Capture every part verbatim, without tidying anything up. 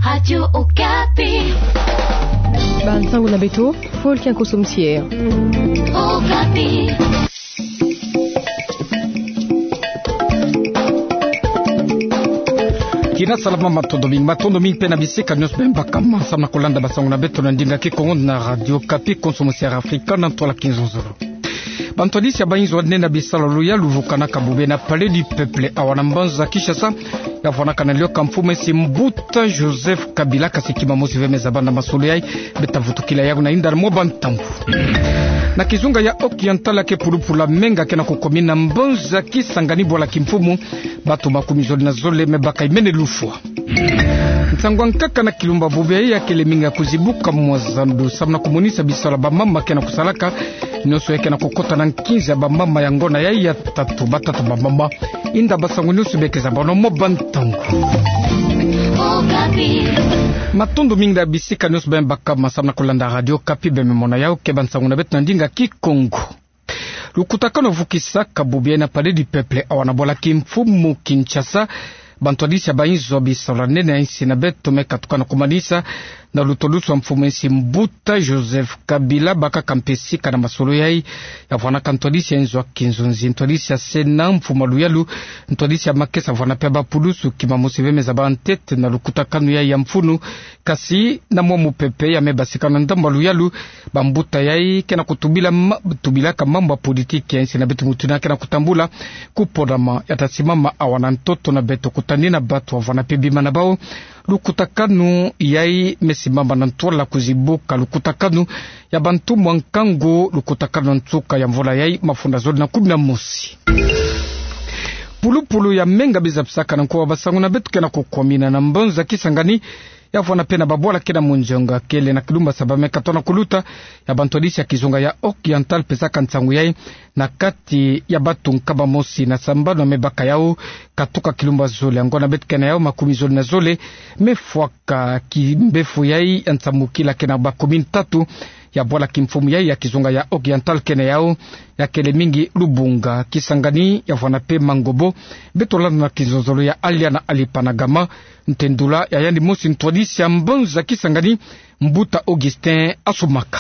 Radio Okapi. Bansango na beto, Paul Kiankoso Msier. Okapi. Kina salama, matondo mingi, matondo mingi mpe na bisika nyonso beno bakama samu na kolanda bansango na beto na ndinga Kikongo na Radio Okapi, konso mosiara Afrika na ntwala Kinzonzolo. Bantwadisi ya bainzo nene ya bisalu ya luvukanaka bubu na Palais du Peuple awa na mbanza Kinshasa, ya vwanaka na lioka mfumu esi Mbuta Joseph Kabila, kasi kima mosi ve me zaba na masolo yayi, beta vutukila yawu na inda mwa bantangu. Na kizunga ya Haut-Oriental, ke pulupulu ya Menga ke na kukomi na mbanza Kisangani bwala kimfumu, bantu makumi zole na zole me baka imene lufwa. Nsangu ya nkaka na kilumbu bubu yayi ya kele mingi ya kuzibuka mwa zandu samu na kumonisa bisalu ya bamama ke na kusalaka, nyonso ya ke na kukota na nkinzi ya bamama ya ngonda yayi ya tatu, batata bamama. Inda bansangu nyonso beke zabana mwa bantangu. Matondo mingi na bisika nyonso beno bakama samu na kolanda Radio Okapi, beno me mona yawu ke bansangu na beto na ndinga Kikongo. Lukutakanu vukisaka bubu yayi na Palais du Peuple awa na bwala kimfumu Kinshasa. Bantwadisi ya bainzo bisalu nene ya insi na beto me katuka na kumanisa na lutolusu ya mfumu esi Mbuta Joseph Kabila, bakaka mpe sika na masolo yayi, ya vwanaka ntwadisi ya inzo ya kinzonzi, ntwadisi ya Sénat, mfumu ya luyalu, ntwadisi ya makesa, vwana mpe bapulusu, kima mosi ve me zaba ntete na lukutakanu yayi ya mfunu. Kasi na mwa mupepe ya me basika na ndambu ya luyalu, bambuta yayi ke na kutubila ma-, tubilaka mambu ya politiki ya insi na beto, mutu yina ke na kutambula kupona ma ya ta simama awa na ntoto na beto, kutani na bantu, vwana mpe bima na bawu. Lukutakanu yayi me simama na ntwala kuzibuka lukutakanu ya bantu mwa nkangu, lukutakanu ya nsuka ya mvula yayi, mafunda zole na kumi na mosi. Pulupulu ya Menga biza pisaka na nkuwa bansangu na beto ke na kukomina na mbanza Kisangani, ya vwana mpe na babwala ke na munzonga kele na kilumbu saba me katoa na kuluta, ya bantwadisi ya kizunga ya Haut-Oriental pesaka nsangu yayi na kati ya bantu nkama mosi na sambanu ya me baka yawu, katuka kilumbu zole, ya ngonda beto ke na yawu makumi zole na zole, me fwaka. Kimbevo yayi ya nsamukila ke na ba commune tatu ya bwala kimfumu yayi ya kizunga ya Haut-Oriental ke na yawu, ya kele mingi Lubunga, Kisangani, ya vwana mpe Mangobo. Beto landa na kinzonzolo ya Alia na Alipa na Gama, ntendula ya yandi mosi ntwadisi ya mbanza Kisangani, Mbuta Augustin Assoumaka.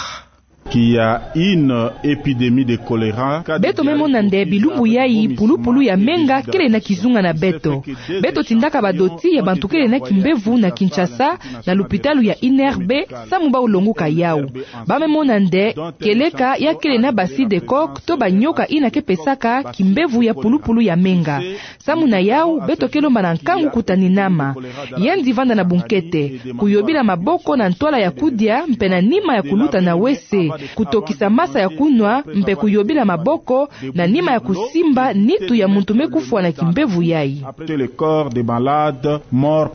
Qu'il y a une épidémie de choléra. Beto me mona nde bilumbu yayi pulupulu ya Menga kele na kizunga na beto. Beto tindaka badoti ya bantu kele na kimbevo na Kinshasa, na lupitalu ya I N R B, samu bau longoka yawu. Ba me mona nde kieleka ya kele na ba cidécoque to banyoka yina ke pesaka kimbevo ya pulupulu ya Menga. Samu na yawu, beto ke lomba na nkangu kutani nama. Yandi vanda na bunkete, kuyobila maboko na ntwala ya kudia, mpe na nima ya kuluta na W C, kutokisa masa ya kunwa, mpe kuyobila maboko, na nima ya kusimba nitu ya muntu me kufwa na kimbevo yayi. Après le corps des malades morts.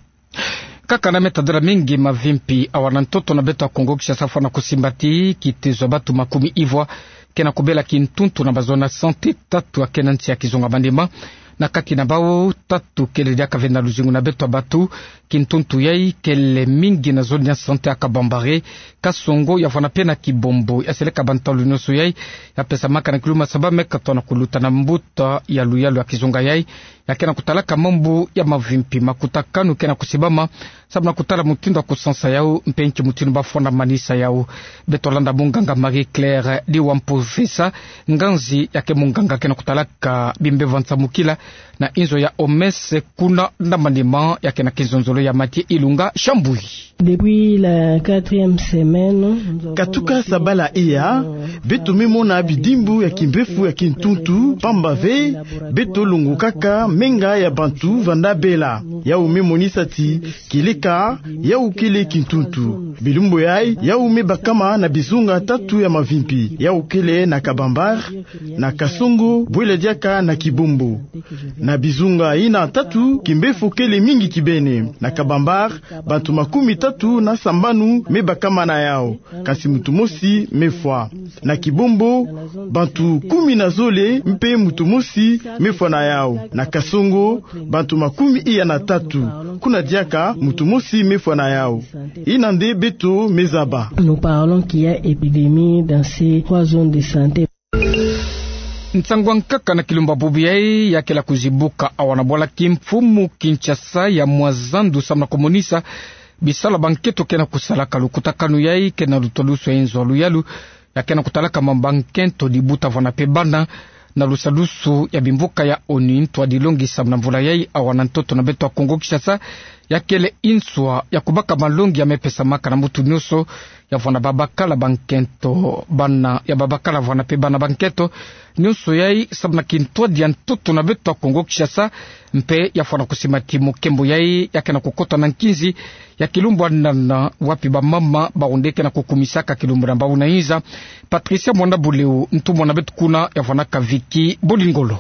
Kaka na me tadila mingi mavimpi awa na ntoto na beto ya Kongo Kinshasa, fwana kusimba ti kitezo ya bantu makumi ivwa ke na kubela kintuntu na ba zone ya santé tatu ya ke na nsi ya kizunga Maniema. Na kati na bau tatu kele diaka ve na luzingu na beto ya bantu. Kintuntu yayi kele mingi na zone ya santé ya Kabambare, Kasongo, ya vwana mpe na Kibombo. Ya seleka bantalu nyonso yayi, ya pesamaka na kilumbu saba me katoa na kuluta, na mbuta ya luyalu ya kizunga yayi, ya ke na kutalaka mambu ya mavimpi, makutakanu ke na kusibama samu na kutala mutindu ya kusansa yawu, mpe nki mutindu ba fwana manisa yawu. Beto landa munganga Marie Claire Diwampofesa, nganzi ya ke munganga ke na kutalaka bimbevo ya nsamukila na inzo ya O M S kuna na Maniema, ya ke na kinzonzolo ya Mathieu Ilunga Shambui. Depuis la quatrième semaine, nous avons... Katuka sabala iya, beto me mona bidimbu ya kimbevo ya kintuntu, pamba ve beto longokaka menga ya bantu vanda bela. Yawu me monisa ti kieleka yawu kele kintuntu. Bilumbu yayi, yawu me bakama na bizunga tatu ya mavimpi. Yawu kele na Kabambare, na Kasongo, bwela diaka na Kibombo. Na bizunga yina tatu, kimbevo kele mingi kibeni. Na Kabambare, bantu makumi tatu na sambanu me bakama na yawu, kasi muntu mosi me fwa. Na Kibombo, bantu kumi na zole mpe muntu mosi me fwa na yawu. Na Kasongo, bantu makumi iya na tatu, kuna diaka muntu mosi me fwa na yawu. Yina nde beto me zaba. Nous parlons qu'il y a épidémie dans ces trois zones de santé. Nsangu ya nkaka na kilumbu bubu yayi ya kele kuzibuka awa na bwala kimfumu Kinshasa ya mwa zandu samu na kumonisa Bisalu ya bankento ke na kusalaka. Lukutakanu yai ke na luta lusu ya inzo ya luyalu ya ke na kutalaka mambu ya nkento, libuta, vwanda mpe bana, na lusadusu ya bimvuka ya ONU, ntu a dilongi samu na mvula yai, awa na ntoto na beto ya Kongo Kinshasa, ya kele nswa ya kubaka malongi ya me pesamaka na muntu nyonso, ya vwanda babakala bankento, bana ya babakala vwanda mpe bana bankento, nyonso yai samu na kintwadi ya ntoto na beto ya Kongo Kinshasa, mpe ya fwana kusimba ti mokembo yai ya ke na kukota na nkinzi ya kilumbu ya nana, wapi bamama bawu nde ke na kukumisaka kilumbu na bawu na inza. Patricia Mwanda Buleu, ntumwa na beto kuna, ya vwanaka Vicky Bolingolo.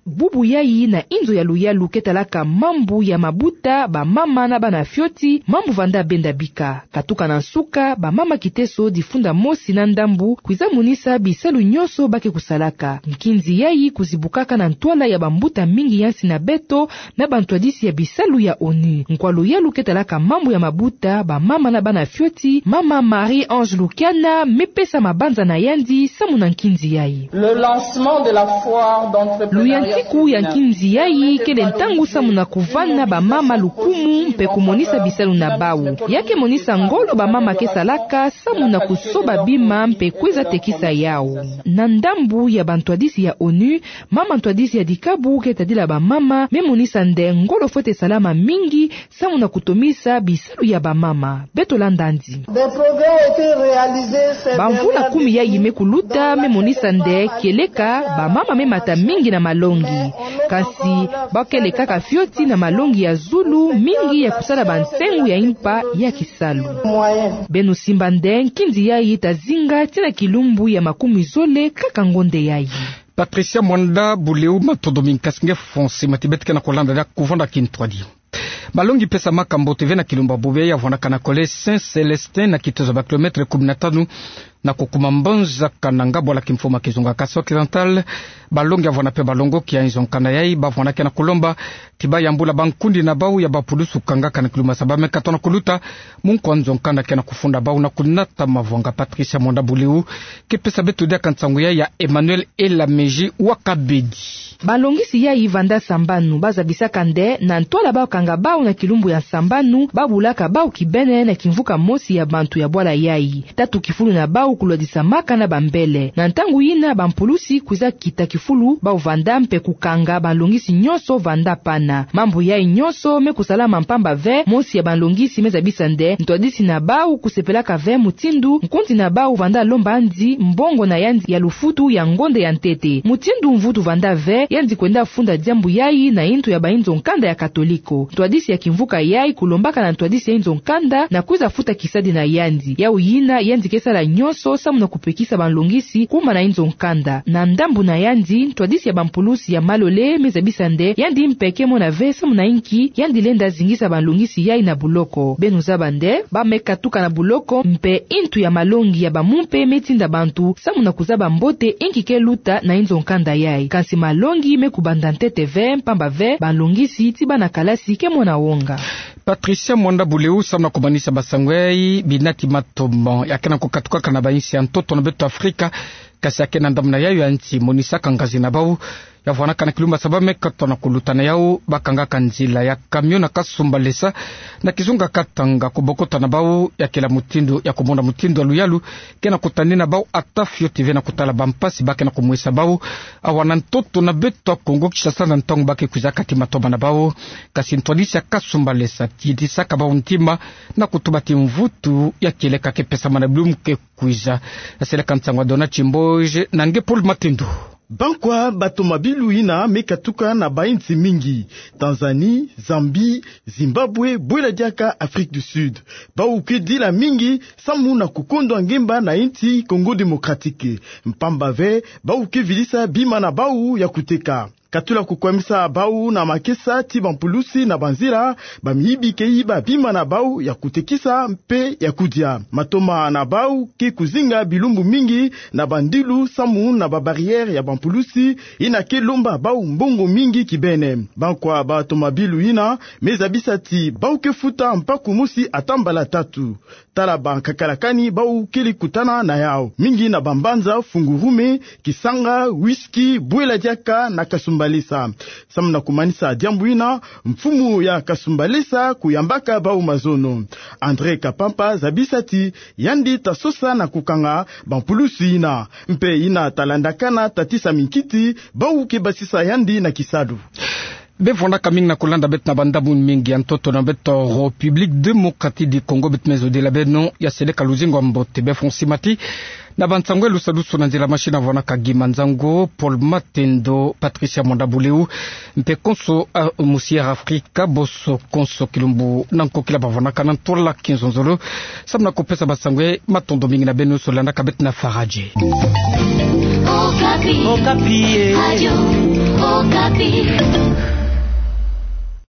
Bubu yai na inzo ya luyalu ke talaka mambu ya mabuta, bamama na bana fioti, mambu vwanda benda bika. Katuka na nsuka, bamama kiteso difunda mosi na ndambu kwiza monisa bisalu nyonso ba ke kusalaka. Nkinzi yai kuzibukaka na ntwala ya bambuta mingi ya nsi na beto, na bantwadisi ya bisalu ya ONU. Nkwa luyalu ke talaka mambu ya mabuta, bamama na bana fioti, mama Marie-Ange Lukiana, me pesa mabanza na yandi samu na nkinzi yai. Le lancement de la foire d'entrepreneuriat féminin. Luyantiku ya nkinzi yai kele ntangu samu na kuvana bamama lukumu mpe kumonisa bisalu na bawu. Ya ke monisa ngolo bamama ke salaka samu na kusoba bima mpe kwiza tekisa yawu. Na ndambu ya bantwadisi ya ONU, mama ntwadisi ya dikabu ke tadila bamama me monisa nde ngolo fwete salama mingi samu na kutomisa bisalu ya bamama. Beto landa yandi. Des progrès ont été réalisés ces dernières décennies. Bamvula kumi yai me kuluta me monisa nde kieleka bamama me mata mingi na malongi. Kasi ba ke lekaka fioti na malongi ya zulu mingi ya kusala bansengo ya impa ya kisalu. Beno simba nde nkinzi yai ta zinga tii na kilumbu ya makumi zole kaka ngonde yai. Patricia Mwanda Buleu, matondo mingi. Kasi nge fonse mati beto ke na kulanda dia kuvanda kintwadi. Malongi pesamaka mbote ve na kilumbu ya bobo yai ya vwanaka na collège Saint Célestin, na kitezo ba kilomètre kumi na tanu na kukuma mbanzaka na ngabwala kimfumu ya kizunga Kasai Occidental. Balongi ya vwanda mpe balongoki ya inzo nkanda yai ba vwanda ke na kulomba ti ba yambula bankundi na bawu ya bapulusu kangaka na kilumbu ya saba me katona kuluta, mu nkwa nzo nkanda ke na kufunda bawu na kunata mavwanga. Patricia Mwanda Buleu ke pesa beto diaka nsangu yai ya Emmanuel Elameji wa Kabedi. Balongisi yai vanda sambanu, ba zabisaka nde na ntwala ba kanga bawu na kilumbu ya sambanu, ba bulaka bawu kibeni na kimvuka mosi ya bantu ya bwala yai. Tatu kifulu na bawu kulwadisamaka na bambele. Na ntangu yina bampulusi kwiza kita kifulu bawu vanda mpe kukanga balongisi nyonso vanda pana. Mambu yai nyonso me kusalama mpamba ve mosi ya balongisi me zabisa nde ntwadisi na bawu kusepelaka ve mutindu nkundi na bawu vanda lomba yandi mbongo na yandi ya lufutu ya ngonde ya ntete. Mutindu mvutu vanda ve, yandi kwenda funda diambu yai na yintu ya bainzo nkanda ya Katoliko. Ntwadisi ya kimvuka yai kulombaka na ntwadisi ya inzo nkanda na kwiza futa kisadi na yandi. Yawu yina yandi ke sala nyonso samu na kupekisa balongisi kuma na inzo nkanda. Na ndambu na yandi, ntwadisi ya bampulusi ya malole me zabisa nde yandi mpe ke mona ve samu na inki yandi lenda zingisa balongisi yai na buloko. Beno zaba nde ba me katuka na buloko mpe yintu ya malongi ya bamumpe me tinda bantu samu na kuzaba mbote inki ke luta na inzo nkanda yai. Kansi malongi me kubanda ntete ve, mpamba ve balongisi ti bana kalasi ke mona wonga. Patricia Mwanda Buleu, samu na kumanisa basango yai, bina ti matomo ya ke na kukatukaka na bainsi ya ntoto na beto Afrika, kasi ya ke na ndambu na yayo ya nsi, monisaka ngazi na bawu ya vwanaka na kilumbu ya saba me katona kuluta. Na yawu ba kangaka nzila ya camion na Kasumbalesa na kizunga Katanga. Kubokota na bawu ya kela mutindu ya kumona mutindu ya luyalu ke na kutani na bawu, ata fioti ve na kutala bampasi ba ke na kumwesa bawu awa na ntoto na beto Kongo Kinshasa na ntangu ba ke kwizaka ti matoma na bawu. Kasi ntwadisi ya Kasumbalesa titisaka bawu ntima na kutuba ti mvutu ya kieleka ke pesama na bilumbu ke kwiza. Seleka nsangu ya Dona Chimboje na nge Paul Matendo. Bankwa batomabilu yina me katuka na bainsi mingi: Tanzanie, Zambie, Zimbabwe, bwela diaka Afrique du Sud. Bawu ke dila mingi samu na kukondwa ngemba na insi Congo Démocratique. Mpamba ve, bawu ke vidisa bima na bawu ya kuteka. Katula kukwamisa bawu na makesa ti bampulusi na banzila, bamiyibi ke yiba bima na bawu ya kutekisa mpe ya kudia. Matoma na bawu ke kuzinga bilumbu mingi na bandilu samu na babarrière ya bampulusi, yina ke lomba bawu mbongo mingi kibeni. Bankwa batomabilu yina me zabisa ti bawu ke futa mpaku mosi ata mbala tatu. Tala bankakalakani bawu kele kutana na yawu mingi na bambanza: Fungurume, Kisanga, Whisky, bwela diaka na Kasumba Kasumbalesa. Samu na kumanisa diambu ina, mfumu ya Kasumbalesa kuyambaka bau mazono. André Kapampa zabisa ti yandi ta sosa na kukanga bampulusi ina. Mpe ina ta landakana tatisa minkiti bau ke basisa yandi na kisalu. Bevwandaka mingi na kulanda beto na bandambu mingi ya ntoto na beto République Démocratique du Congo, beto me zodila beno ya seleka luzingu ya mbote. Befwa nsimati na bansangu lusadusu na nzila machine, avwandaka Guy Manzango, Paul Matendo, Patricia Mwanda Buleu, mpe konso a Musière Africa, boso konso kilumbu na nkokila bavwandaka na ntwala kinzonzolo. Samu na kupesa bansangu, matondo mingi na beno nyonso landaka beto na Faradje. Okapi. Okapi, eh. Radio Okapi.